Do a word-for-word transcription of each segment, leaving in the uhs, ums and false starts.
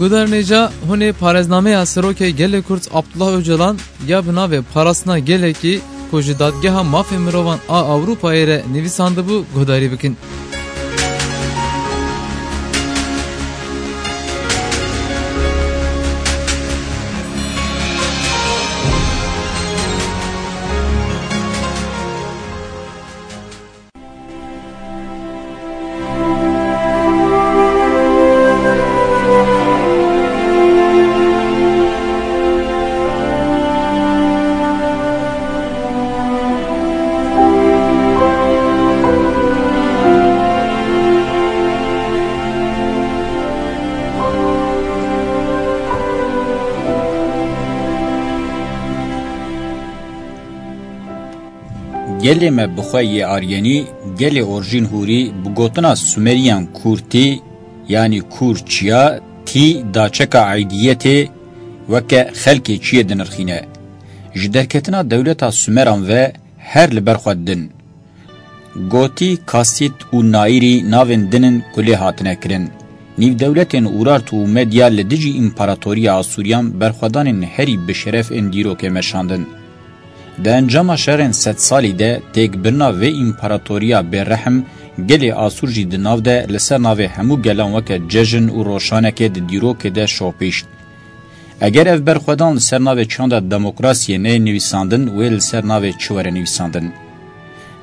Guhdarên hêja, hûn ê parêznameya Serokê Gelê Kurd Abdullah Ocalan ya bi navê Parastina Gelekî ku ji Dadgeha Mafê Mirovan a Ewropayê re nivîsandibû guhdarî bikin. Gelê me bi xwe yê Aryenî, gelê orjîn hûrî, bi gotina Sumeriyan Kûrtî, yanî Kûr çiya, tî daçeka eydiyetê weke xelkê çiyê dinirxîne. Ji derketina dewleta Sumeran ve her li ber xwe didin. Gotî, Kasît û Naîrî navên din in ku lê hatine kirin. Nîvdewletên Urartu û Medya li dijî Împaratoriya Asûriyan berxwedanên herî bi şeref ên dîrokê meşandin. Di encama şerên sedsalî de têkbirina vê împaratoriya bêrehm, gelê Asûr jî di nav de li ser navê hemû gelan weke cejn û roşanekê di dîrokê de şopîşt. Eger ev berxwedan li ser navê çanda demokrasiyê neyê nivîsandin, wê li ser navê çi were nivîsandin?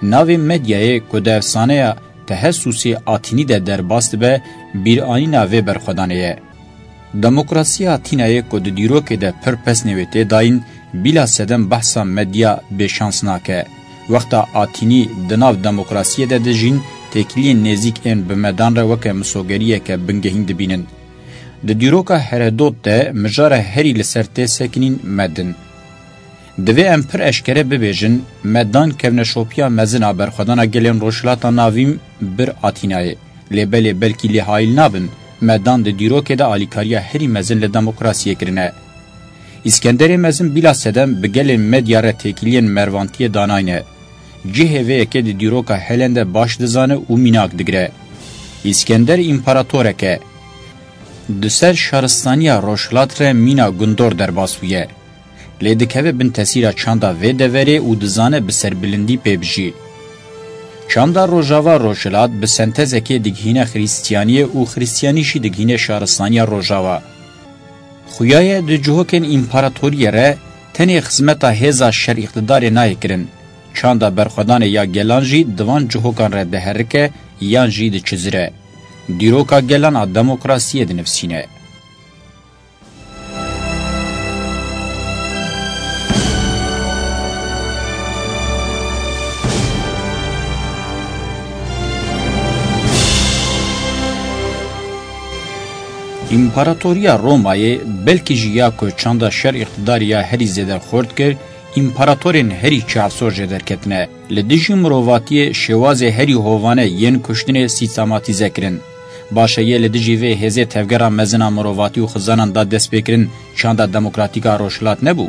Navê Medyayê ku di efsaneya Tehesûsê Atînî de derbas dibe, bîranîna vê berxwedanê ye. Demokrasiya Atînayê ku di dîrokê de pir pesnê wê tê dayîn, bîla sedem behsa Medya bêşans nake. Wexta Atînî di nav demokrasiyê de dijîn, têkiliyên nêzîk ên bi Medan re weke misogeriyeke bingehîn dibînin. Di dîroka Heredot de mijara herî li ser tê sekinîn Med in. Divê em pir eşkere bibêjin, Medan kevneşopiya mezin a berxwedana gelên Rojhilata Navîn bir Atînayê. Lê belê belkî lê hayil nabin, Medan di dîrokê de alîkariya herî mezin li demokrasiyê kirine. Îskenderê Mezin bîla sedem bi gelên Medya re têkiliyên mervantiyê danayne. Cihê vê yekê di dîroka Helen de baş dizane û mînak digire. Îskender împaratorek e. Di ser şaristaniya Rojhilat re mîna gundor derbas bûye. Lê dikeve bin tesîra çanda vê deverê û dizane bi serbilindî pê bijî. Çanda Rojava Rojhilat bi sentezekê digihîne Xrîstiyaniyê û Xrîstiyanî jî digihîne şaristaniya Rojava. Xuya ye di cihokên împaratoriyê re tenê xizmeta hêza şer îqtidarê nayê kirin. Çanda berxwedanê ya gelan jî di van cihokan re diherike yan jî diçizire. Dîroka gelan a demokrasiyê dinivsîne. Împaratoriya Romayê belkî jî ya ku çanda şer îqtidarî ya herî zêde xurt kir, împaratorên herî çavsor jê derketine. Li dijî mirovatiyê şêwazê herî hovane yên kuştinê sîstematîze kirin. Baş e, yê li dijî vê hêzê tevgera mezin a mirovatî û xizanan da destpêkirin, çanda demokratîk a Rojhilat nebû?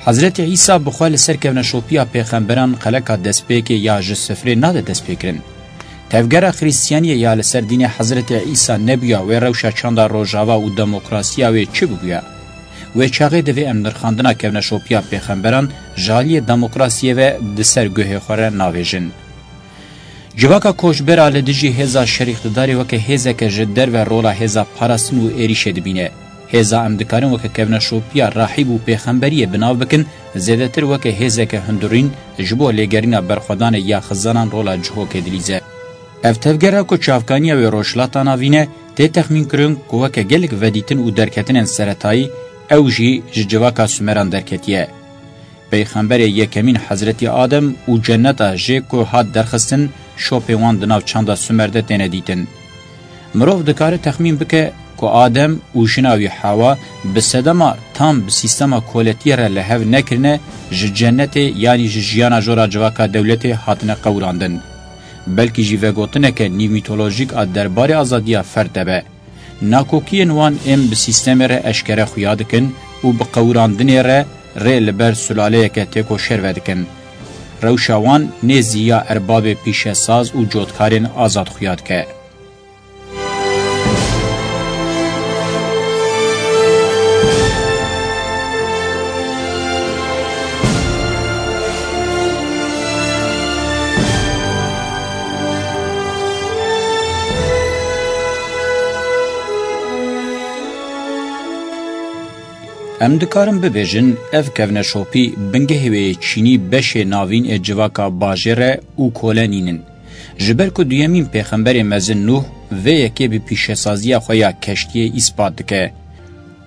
Hezretî Îsa bi xwe li ser kevneşopiya pêxemberan xeleka destpêkê ya ji sifrê nade destpêkirin. Tevgera Xrîstiyaniyê ya li ser dînê Hezretî Îsa nebûya, wê rewşa çanda Rojava û demokrasiya wê çi bibûya? Wê çaxê divê em nirxandina kevneşopiya pêxemberan ji aliyê demokrasiyê ve di ser guhê xwe re navêjin. Civaka koçbera li dijî hêza şer îqtidarê weke hêzeke ji derve rola hêza parastin û êrîşê dibîne. Hêza em dikarin weke kevneşopiya rahîb û pêxemberiyê bi nav bikin, zêdetir weke hêzeke hundirîn ji bo lêgerîna berxwedanê ya xizanan rola cihokê dilîze. Ev tevgera ku çavkaniya wê Rojhilata Navîn e, tê texmînkirin ku weke gelek vedîtin û derketinên seretayî ew jî ji civaka Sumeran derketiye. Peyxemberê yekemîn Hezretî Adem û cenneta jê ku hat derxistin, şopê wan di nav çanda Sumer de têne dîtin. Mirov dikare texmîn bike ku Adem û jina wî Hewa bi sedema tam bi sîstema koletiyê re li hev nekirine, ji cennetê yanî ji jiyana jora civaka dewletê hatine qewirandin. Belkî jî vegotineke nîvmîtolojîk a derbarê azadiya ferd de be. Nakokiyên wan ên bi sîstemê re eşkere xuya dikin û bi qewirandinê re rê li ber sulaleyeke têkoşer vedikin. Rewşa wan nêzî ya erbabê pîşesaz û cotkarên azad xuya dike. Em dikarin bibêjin, ev kevneşopî bingehê wê yê çînî beşê navîn ê civaka bajêr e û kole nînin. Ji ber ku duyemîn pêxemberê mezin Nûh vê yekê bi pîşesaziya xwe ya keştiyê îspat dike.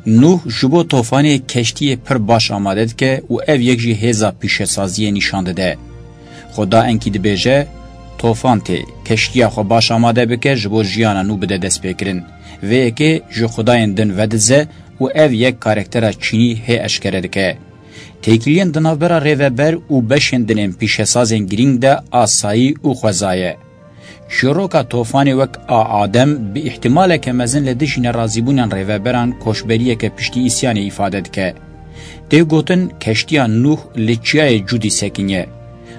Nûh ji bo tofanê keştiyê pir baş amade dike û ev yek jî hêza pîşesaziyê nîşan dide. Xuda enkî dibêje, tofan tê, keştiya xwe baş amade bike ji bo jiyana nû bide destpêkirin. Vê yekê ji xudayên din vedize û ev yek karaktera çînî hê eşkere dike. Têkiliyên di navbera rêveber û beşên din ên pîşesazên girîng de asayî û xweza ye. Çîroka tofanê wek a Adem bi îhtimaleke mezin li dijî nerazîbûnên rêveberan koçberiyeke piştî îsyanê îfade dike. Tê gotin keştiya Nûh li çiyayê Cûdî sekiniye.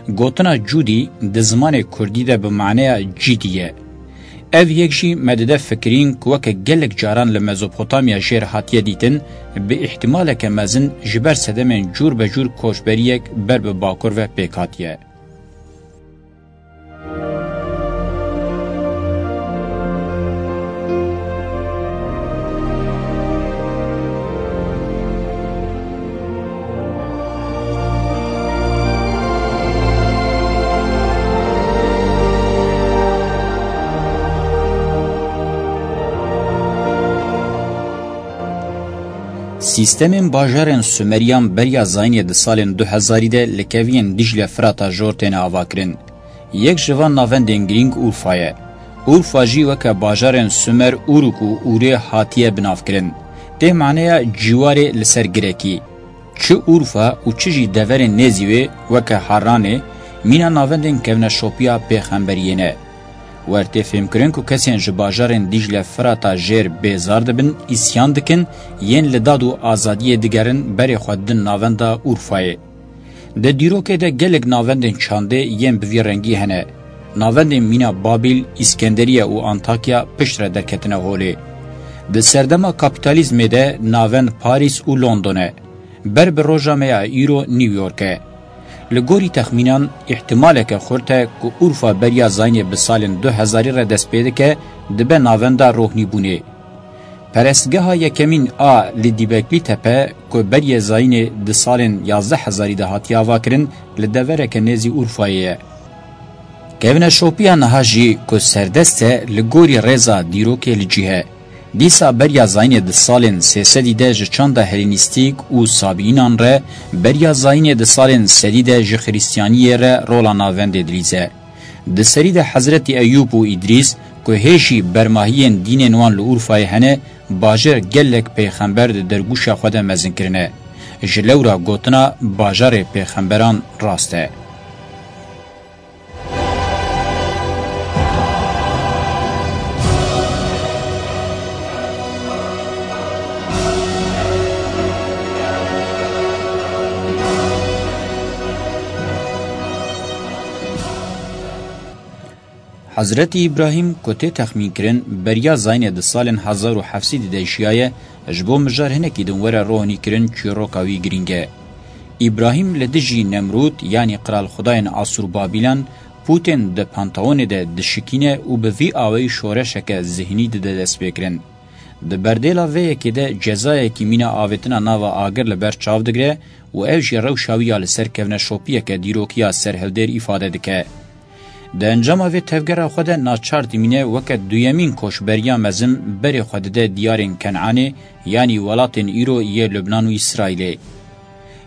Gotina Cûdî di zimanê kurdî de bi maneya cîdî ye. Ev yek jî me dide fikirîn ku weke gelek caran li Mezopotamya jêr hatiye dîtin, bi îhtimaleke mezin ji ber sedemên cûr be cûr koçberiyek ber bi bakur ve pêk hatiye. Sîstemên bajarên Sumeriyan beriya zayînê di salên du hezarî de li keviyên Dîcle Firata Jor têne avakirin. Yek ji van navendên girîng Urfa ye. Urfa jî weke bajarên Sumer Uruk û Urê hatiye binavkirin. Tê maneya cîwarê li ser girekî. Çi Urfa û çi jî deverên nêzî wê weke Harranê mîna navendên kevneşopiya pêxemberiyê ne. Wer tê fêmkirin ku kesên ji bajarên Dîcle Firata jêr bêzar dibin, îsyan dikin, yên li dad û azadiyê digerin berê xwe didin navenda Urfayê. Di dîrokê de gelek navendên çandê yên bi vî rengî hene. Navendên mîna Babîl, Îskenderiye û Antakya piştre derketine holê. Di serdema kapîtalîzmê de navend Parîs û London e. Ber bi roja me ya îro New York e. Li gorî texmînan, îhtimaleke xurt e ku Urfa beriya zayînê bi salên du hezarî re dest pê dike, dibe navenda rohnîbûnê. Perestgeha yekemîn a li Dîbeklî Tepe ku beriyê zayînê di salên yazdeh hezarî de hatiye avakirin, li devereke nêzî Urfayê ye. Kevneşopiya niha jî ku serdest e, li gorî rêza dîrokê li cih e. Dîsa beriya zayînê di salên sê sedî de ji çanda Helînîstîk û Sabînan re, beriya zayînê di salên sedî de ji Xiristiyaniyê re rola navendê dilîze. Di serî de Hezretî Eyûb û Îdrîs ku hê jî bermahiyên dînên wan li Urfayê hene, bajêr gelek pêxember di dergûşa xwe de mezin kirine. Ji lewra gotina bajarê pêxemberan rast e. Hezretî Îbrahîm ku tê texmînkirin beriya zayînê di salên hezar û heft sedî de jiyaye, ji bo mijar hinekî din were rohnîkirin çîroka wî girîng e. Îbrahîm li dijî Nemrûd, yanî qiralxwedayên Asûrbabîlan, pûtên di Panteonê de dişikîne û bi vî awayî şoreşeke zihnî dide destpêkirin. Di berdêla vê yekê de cezayekî mîna avêtina nava agir li ber çav digire û ev jî rewşa wî ya li ser kevneşopiyeke dîrokiya serhildêr îfade dike. Di encama vê tevgera xwe de naçar dimîne weke duyemîn koçberiya mezin berê xwe dide diyarên Kenanê, yanî welatên îro yê Lubnan û Îsraîlê.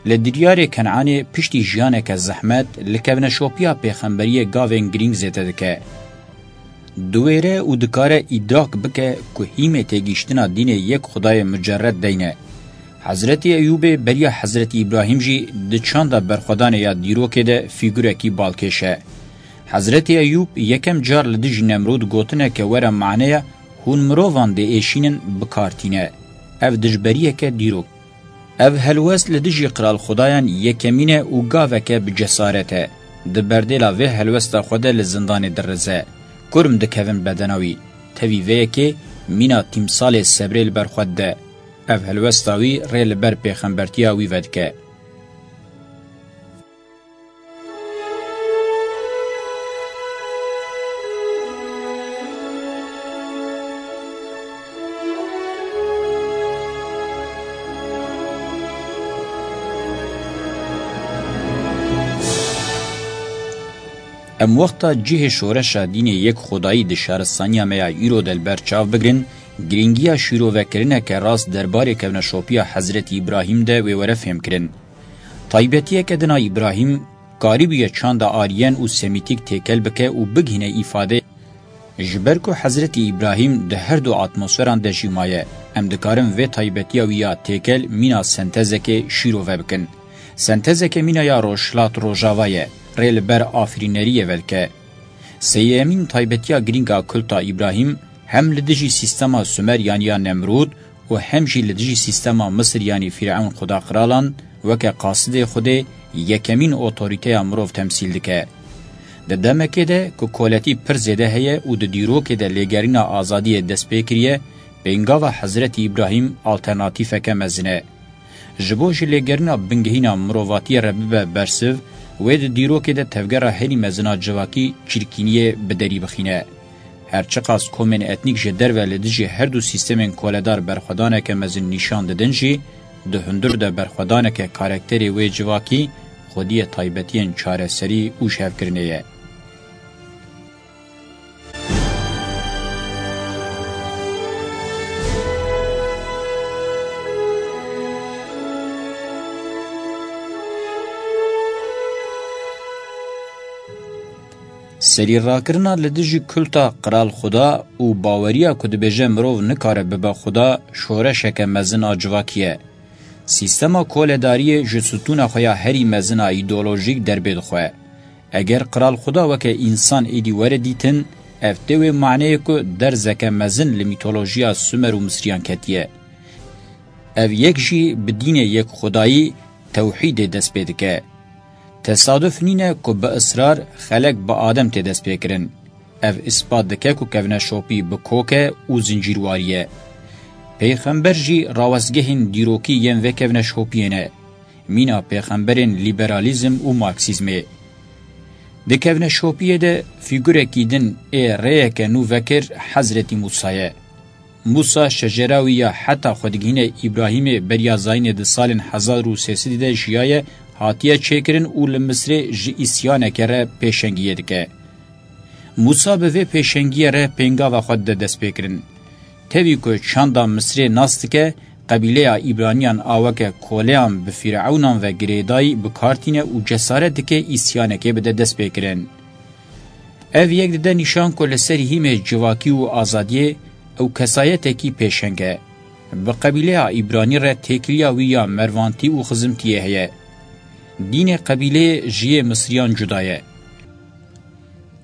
Li diyarê Kenanê piştî jiyaneke zehmet, li kevneşopiya pêxemberiyê gavên girîng zêde dike. Diwêre û dikare îdrak bike ku hîmê têgihiştina dînê yek Xwedayê mucerred deyne. Hezretî Eyûbê beriya Hezretî Îbrahîm jî di çanda berxwedanê ya dîrokê de fîgurekî balkêş e. Hezretî Eyûb yekem car li dijî Nemrûd gotineke were maneya hûn mirovan diêşînin bi kar tîne. Ev dijberiyeke dîrok. Ev helwest li dijî qiralxwedayan yekemîn e û gaveke bi cesaret e. Di berdêla vê helwesta xwe de li zindanê dirize. Kurm dikevin bedena wî. Tevî vê yekê mîna tîmsalê sebrê li ber xwe dide. Ev helwesta wî rê li ber pêxembertiya wî vedike. Em wexta cihê şoreşa dînê yek xwedayî di şaristaniya me ya îro de li ber çav bigirin, girîngiya şîrovekirineke rast derbarê kevneşopiya Hezretî Îbrahîm de wê were fêmkirin. Taybetiyeke din a Îbrahîm karîbûye çanda Aryen û Semîtîk têkel bike û bigihîne îfadeyê. Ji ber ku Hezretî Îbrahîm di her du atmosferan de jî maye, em dikarin vê taybetiya wî ya têkel mîna sentezekê şîrove bikin. Sentezeke mîna ya rojhilat rojava ye, rê li ber afirîneriyê vedike. Sêyemîn taybetiya girîng a kulta Îbrahîm hem li dijî sîstema Sumer yanî ya Nemrûd û hem jî li dijî sîstema Misir yanî Fîrewn xuda qiralan weke qasidê Xwedê yekemîn otorîteya mirov temsîl dike. Di demekê de ku koletî pir zêde heye û di dîrokê de lêgerîna azadiyê dest pê kiriye, pêngava Hezretî Îbrahîm alternatîfeke mezin e. Ji bo ji lêgerîna bingehîna mirovatiyê re bibe bersiv, wê di dîrokê de tevgera herî mezin a civakî çirkîniyê bi derî bixîne. Her çiqas komên etnîk ji derve li dijî her du sîstemên koledar berxwedaneke mezin nîşan didin jî, di hundir de berxwedaneke karakterê wê civakî, xwediyê taybetiyên çareserî û jihevkirinê ye. Serîrakirina li dijî kulta Qral Xuda û baweriya ku dibêje mirov nikare bibe Xuda, şoreşeke mezin a civakî ye. Sîstema koledariyê ji stûna xwe ya herî mezin a îdeolojîk derbê dixwe. Eger Qral Xuda weke însan êdî were dîtin, ev tê wê maneyê ku derzeke mezin li mîtolojiya Sumer û Misriyan ketiye. Ev yek jî bi dînê yek xwedayî, tewhîdê dest pê dike. Tesaduf nîne ku bi israr xelek bi Adem tê destpêkirin. Ev îspat dike ku kevneşopî bi kok e û zincîrwarî ye. Pêxember jî rawestgehên dîrokî yên vê kevneşopiyê ne. Mîna pêxemberên lîberalîzm û marksîzmê. Di kevneşopiyê de fîgurekî din ê rêyeke nû vekir Hezretî Mûsa ye. Mûsa şecera wî ya heta xwe digihîne Îbrahîmê beriya zayînê di salên hezar û sê sedî de jiyaye, hatiye çêkirin û li Misrê ji îsyaneke re pêşengiyê dike. Mûsa bi vê pêşengiyê re pêngava xwe dide destpêkirin. Tevî ku çanda Misrê nas dike, qebîleya Îbraniyan a weke koleyan bi fîrewnan ve girêdayî bi kar tîne û cesaret dike îsyanekê bide destpêkirin. Ev yek dide nîşan ku li ser hîmê civakî û azadiyê ew kesayetekî pêşeng e. Bi qebîleya Îbranî re têkiliya wî ya mervantî û xizimtiyê heye. Dînê qebîleyê ji yê Misriyan cuda ye.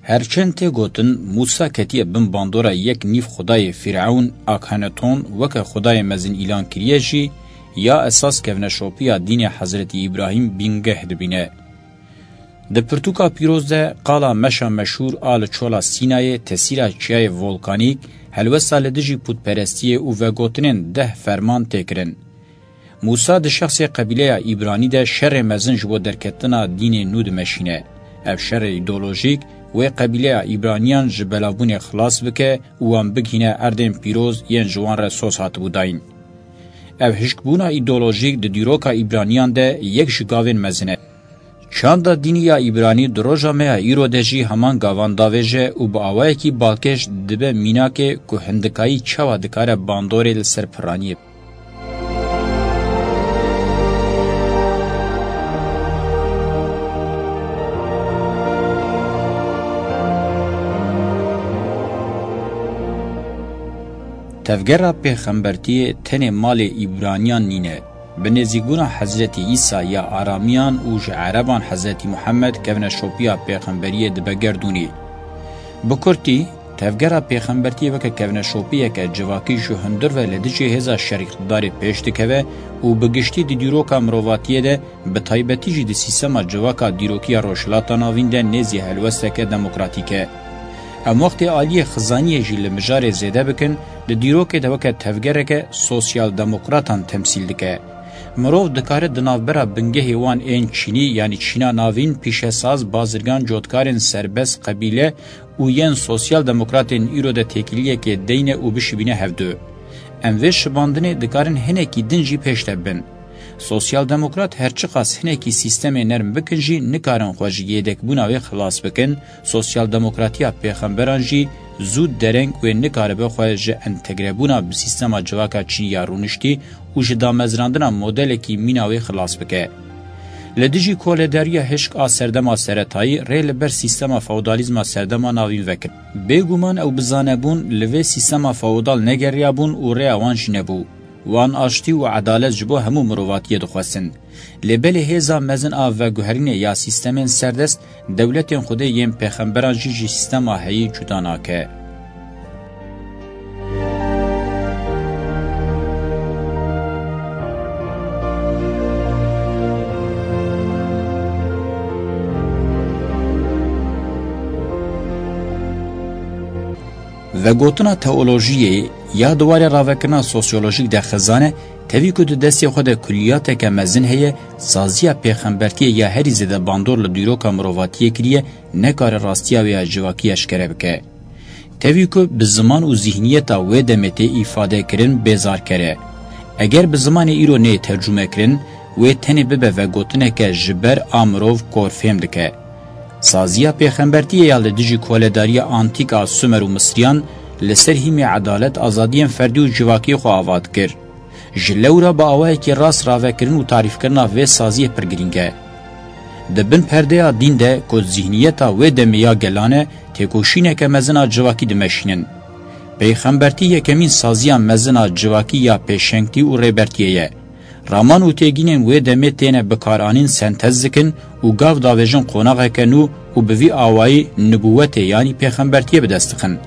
Her çend tê gotin, Mûsa ketiye bin bandora yek nîv xwedayê Fîrewn, Akhenaton, weke xwedayê mezin îlan kiriye jî, ya esas kevneşopiya dînê Hezretî Îbrahîm bingeh dibîne. Di pirtûka pîroz de qala meşa meşhûr a li çola Sînayê, tesîra çiyayê volkanîk, helwesta li dijî pûtperestiyê û vegotinên deh ferman tê kirin. Mûsa di şexsê qebîleya Îbranî de şerê mezin ji bo derketina dînê nû dimeşîne. Ev şerê îdeolojîk wê qebîleya Îbraniyan ji belavbûnê xilas bike û wan bigihîne erdên pîroz yên ji wan re soz hatibû dayîn. Ev hişkbûna îdeolojîk di dîroka Îbraniyan de yek ji gavên mezin e. Çanda dînî ya Îbranî di roja me ya îro de jî heman gavan davêje û bi awayekî balkêş dibe mînakê ku hindikayî çawa dikare bandorê li ser piraniyê. Tevgera pêxembertiyê tenê malê Îbraniyan nîne. Bi nêzîkbûna Hezretî Îsa ya Aramiyan û ji Ereban Hezretî Muhammed kevneşopiya pêxemberiyê dibe gerdûnî. Bi kurtî, tevgera pêxembertiyê weke kevneşopiyeke civakî ji hundir ve li dijî hêza şerîqtidarê pêş dikeve û bi giştî di dîroka mirovatiyê de, bi taybetî jî di sîstema civaka dîrokiya Rojhilata Navîn de nêzî helwesteke demokratîk e. Em wextê aliyê xizaniyê jî li mijarê zêde bikin, di dîrokê de weke tevgereke sosyal-demokratan temsîl dike. Mirov dikare di navbera bingehê wan ên çînî, yanî Çîna Navîn, pîşesaz, bazirgan, cotkarên serbest, qebîle û yên sosyal-demokratên îro de têkiliyekê deyne û bişibîne hevdu. Em vê şibandinê dikarin hinekî din jî pêş de bin. Sosyaldemokrat her çiqas hinekî sîstemê nerm bikin jî nikarin xwe ji yêdekbûna wê xilas bikin, sosyaldemokratiya pêxemberan jî zû dereng wê nikaribe xwe ji entegrebûna bi sîstema civaka çinî ya rûniştî û ji damezrandina modelekî mîna wê xilas bike. Li dijî koledariya hişk a serdema seretayî rê li ber sîstema feodalîzma serdema navîn vekirin. Bêguman ew bi zanebûn li vê sîstema feodal negeriyabûn û rêya wan jî nebû. Wan aştî û edalet ji bo hemû mirovatiyê dixwestin. Lê belê hêza mezin a veguherînê ya sîstemên serdest, dewletên Xwedê yên pêxemberan jî ji sîstema heyî cuda nake. Vegotina teolojiyê ya di warê ravekirina sosyolojîk de xizan e, tevî ku di destê xwe de kuliyateke mezin heye, saziya pêxembertiyê ya herî zêde bandor li dîroka mirovatiyê kiriye, nekare rastiya wê ya civakî eşkere bike. Tevî ku bi ziman û zîhniyeta wê demê tê îfade kirin, bêzarker e. Eger bi zimanê îro neyê tercûme kirin, wê tenê bibe vegotineke ji ber a mirov kor fêm dike. Saziya pêxembertiyê ya li dijî koledariya antîk a Sumer û Misriyan li ser hîmê edalet, azadiyên ferdî û civakiyê xwe ava dikir. Ji lewra bi awayekî rast ravekirin û tarîfkirina vê saziyê pir girîng e. Di bin perdeya dîn de ku zîhniyeta wê demê ya gelan e, têkoşîneke mezin a civakî dimeşînin. Pêxembertî yekemîn saziya mezin a civakî ya pêşengtî û rêbertiyê ye. Raman û têgînên wê demê têne bikaranîn sentez dikin û gav davêjin qonaxeke nû û bi vî awayî nibûwetê yanî pêxembertiyê bi dest dixin.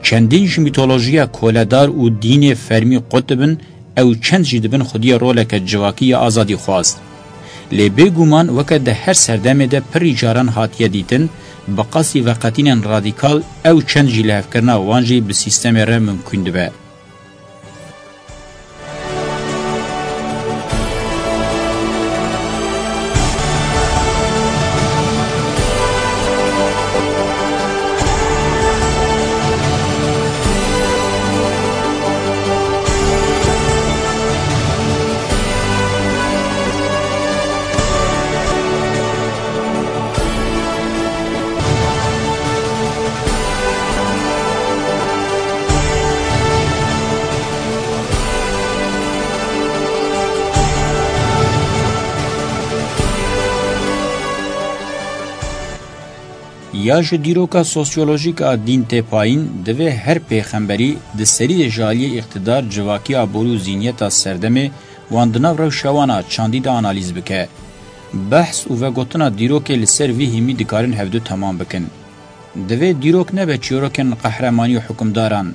Çendîn ji mîtolojiya koledar û dînê fermî qut dibin, ew çend jî dibin xwediyê roleke civakî ya azadîxwaz. Lê bêguman weke di her serdemê de pirî caran hatiye dîtin, bi qasî veqetînên radîkal ew çend jî lihevkirina wan jî bi sîstemê re mimkûn dibe. Ya ji dîroka sosyolojîk a dîn tê payîn, divê her pêxemberî di serî de ji aliyê îqtidar, civakî, aborî û zîniyeta serdemê wan di nav rewşa wan a çandî de analîz bike. Behs û vegotina dîrokê li ser vî hîmî dikarin hevdu temam bikin. Divê dîrok nebe çîrokên qehremanî û hukimdaran,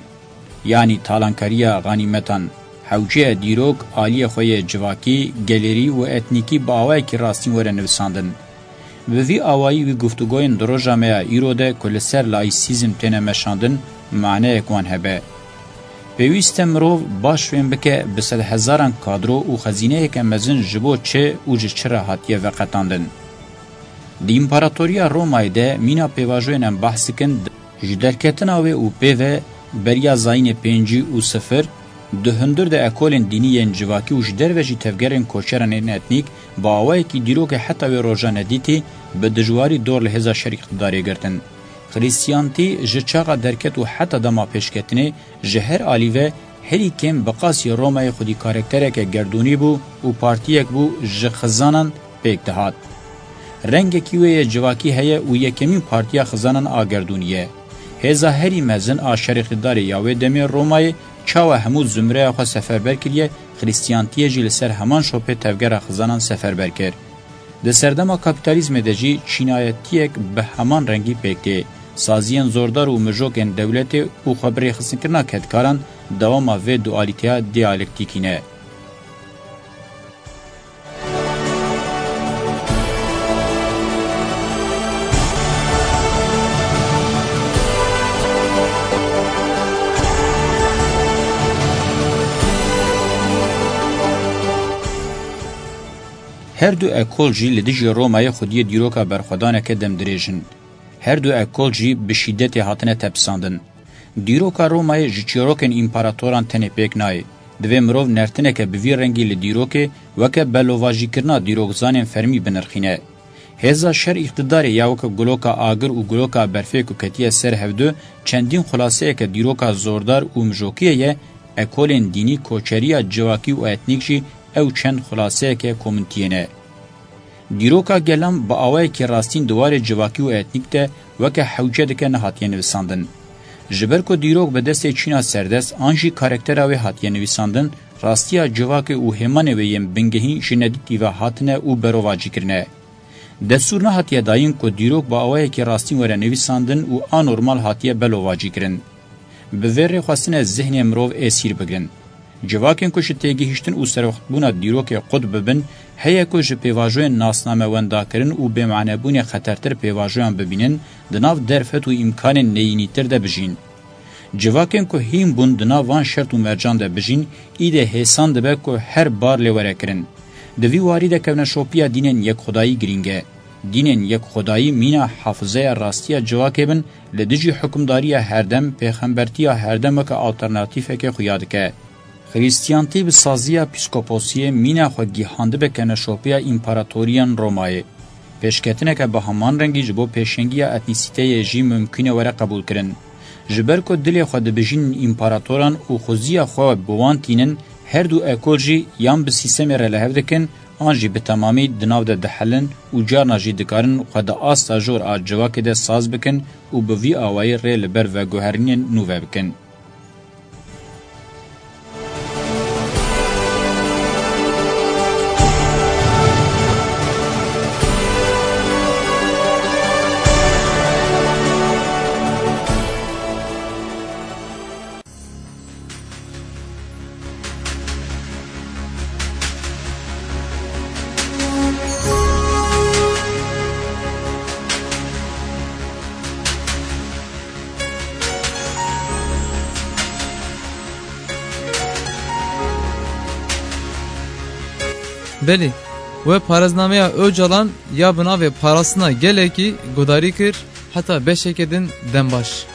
yanî talankariya xanîmetan. Hewce ye dîrok aliyê xwe yê civakî, gelêrî û etnîkî bi awayekî rastîn were nivisandin. Bi vî awayî wî guftûgoyên di roja me ya îro de ku li ser laîsîzm têne meşandin, maneyek wan hebe. Pêwîst e mirov baş fêm bike, bi sedhezaran kadro û xezîneyeke mezin ji bo çi û ji çi re hatiye veqetandin. Di Împaratoriya Romayê de mîna pêvajoyên em behs dikin, ji derketina wê û pê ve beriya zayînê pêncî û sifir, di hundir de ekolên dînî yên civakî û ji derve jî tevgerên koçeran ên etnîk bi awayekî dîrokê heta wê roja nedîtî bi dijwarî dor li hêza şer îqtidarê girtin. Xrîstiyantî ji çaxa derket û heta dema pêşketinê ji her alî ve herî kêm bi qasî Romayê xwedî karaktereke gerdûnî bû û partiyek bû ji xizanan pêk dihat. Rengekî wê yê civakî heye û yekemîn partiya xizanan a gerdûnî ye. Hêza herî mezin a şer îqtîdarê ya wê demê Romayê çawa hemû zumreya xwe seferber kiriye, Xrîstiyantiyê jî li ser heman şopê tevgera xizanan seferber kir. Di serdema kapîtalîzmê de jî çînayetiyek bi heman rengî pêk tê. Saziyên zordar û mijokên dewletê û xwebirêxistinkirina kedkaran dewama vê dualîteya diyalektîkî ne. Her du ekol jî li dijî Romayê xwediyê dîroka berxwedaneke demdirêj in. Her du ekol jî bi şîdetê hatine tepisandin. Dîroka Romayê ji çîrokên împaratoran tenê pêk nayê. Divê mirov nertineke bi vî rengî li dîrokê weke belovajîkirina dîrokzanên fermî binirxîne. Hêza şer îqtidarê ya weke guloka agir û guloka berfê ku ketiye ser hevdu çendîn xulaseyeke dîroka zordar û mijokiyê ye, ekolên dînî, koçeriya civakî û etnîk jî ew çend xulaseyeke komintiyê ne. Dîroka gelan bi awayekî rastîn di warê civakî û etnîk de weke hewce dike nehatiye nivîsandin. Ji ber ku dîrok bi destê çîna serdest an jî karaktera wê hatiye nivîsandin, rastiya civakê û hêmanê wê yên bingehîn ji nedîtî ve hatine û berovacî kirine. Destûr nehatiye dayîn ku dîrok bi awayekî rastîn were nivîsandin û anormal hatiye belovacî kirin. Bi vê rê xwestine zihnê mirov êsîr bigirin. Civakên ku ji têgihiştin û serwextbûna dîrokê qut bibin, heye ku ji pêvajoyên nasnamewendakirin û bêmanebûnê xetertir pêvajoyan bibînin, di nav derfet û îmkanên neyînîtir de bijîn. Civakên ku hîn bûn di nav van şert û mercan de bijîn, îdê hêsan dibe ku her bar lê were kirin. Di vî warî de kevneşopiya dînên yekxwedayî girîng e. Dînên yekxwedayî mîna hafizeya rastiya civakê bin, li dijî hukimdariya herdem, pêxembertiya herdem weke alternatîfekê xuya dike. Xrîstiyantî bi saziya pîskoposiyê mîna xwe gihandibe kevneşopiya împaratoriyên Romayê. Pêşketineke bi heman rengî ji bo pêşengiya etnîsîteyê jî mimkûn e were qebûlkirin. Ji ber ku dilê xwe dibijînin împaratoran û xuziya xwe bi wan tînin, her du ekol jî yan bi sîstemê re li hev dikin, an jî bi temamî di nav de dihelin û carna jî dikarin xwe di asta jor a civakê de saz bikin û bi vî awayî rê li ber veguherînên nû ve bikin. Belê, we parêznameya Ocalan ya bi navê Parastina Gelekî guhdarî kir, heta beşeke din dem baş.